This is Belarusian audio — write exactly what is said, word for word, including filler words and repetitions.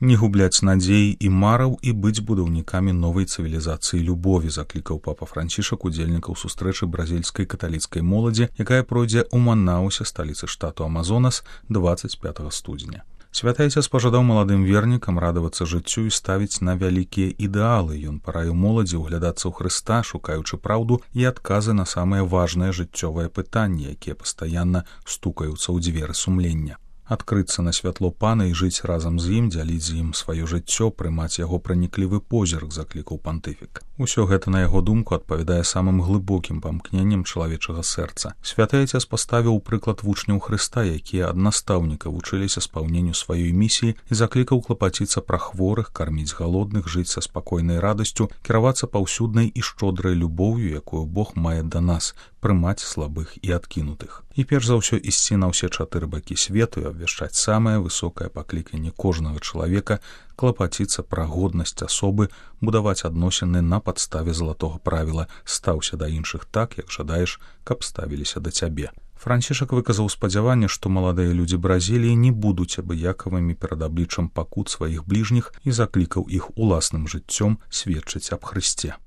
Не губляць надзеі і мараў і быць будаўнікамі новай цывілізацыі любові, заклікаў папа Францішак удзельнікаў сустрэчы бразільскай каталіцкай моладзі, якая пройдзе ў Манаусе, сталіцы штату Амазонас, дваццаць пятага студзеня. Святы Айцец пажадаў маладым вернікам радавацца жыццю і ставіць на вялікія ідэалы. Ён параіў моладзі ўглядацца ў Хрыста, шукаючы праўду і адказы на самыя важныя жыццёвыя пытанні, якія пастаянна стукаюцца ў дзверы сумлення. Адкрыцца на святло Пана і жыць разам з ім, дзяліць з ім сваё жыццё, прымаць яго праніклівы позірк, заклікаў пантыфік. Усё гэта, на яго думку, адпавядае самым глыбокім памкненням чалавечага сэрца. Святы Айцец паставіў прыклад вучняў Хрыста, якія ад настаўніка вучыліся спаўненню сваёй місіі, і заклікаў клапаціцца пра хворых, карміць галодных, жыць са спакойнай радасцю, кіравацца паўсюднай і шчодрай любоўю, якую Бог мае да нас, прымаць слабых і адкінутых. І перш за ўсё ісці на ўсе чатыры бакі свету і абвяшчаць самае высокае пакліканне кожнага чалавека, клапаціцца пра годнасць асобы, будаваць адносіны на падставе залатога правіла «стаўся да іншых так, як жадаеш, каб ставіліся да цябе». Францішак выказаў спадзяванне, што маладыя людзі Бразіліі не будуць абыякавымі перад абліччам пакут сваіх бліжніх і заклікаў іх уласным жыццём сведчыць аб Хрысце.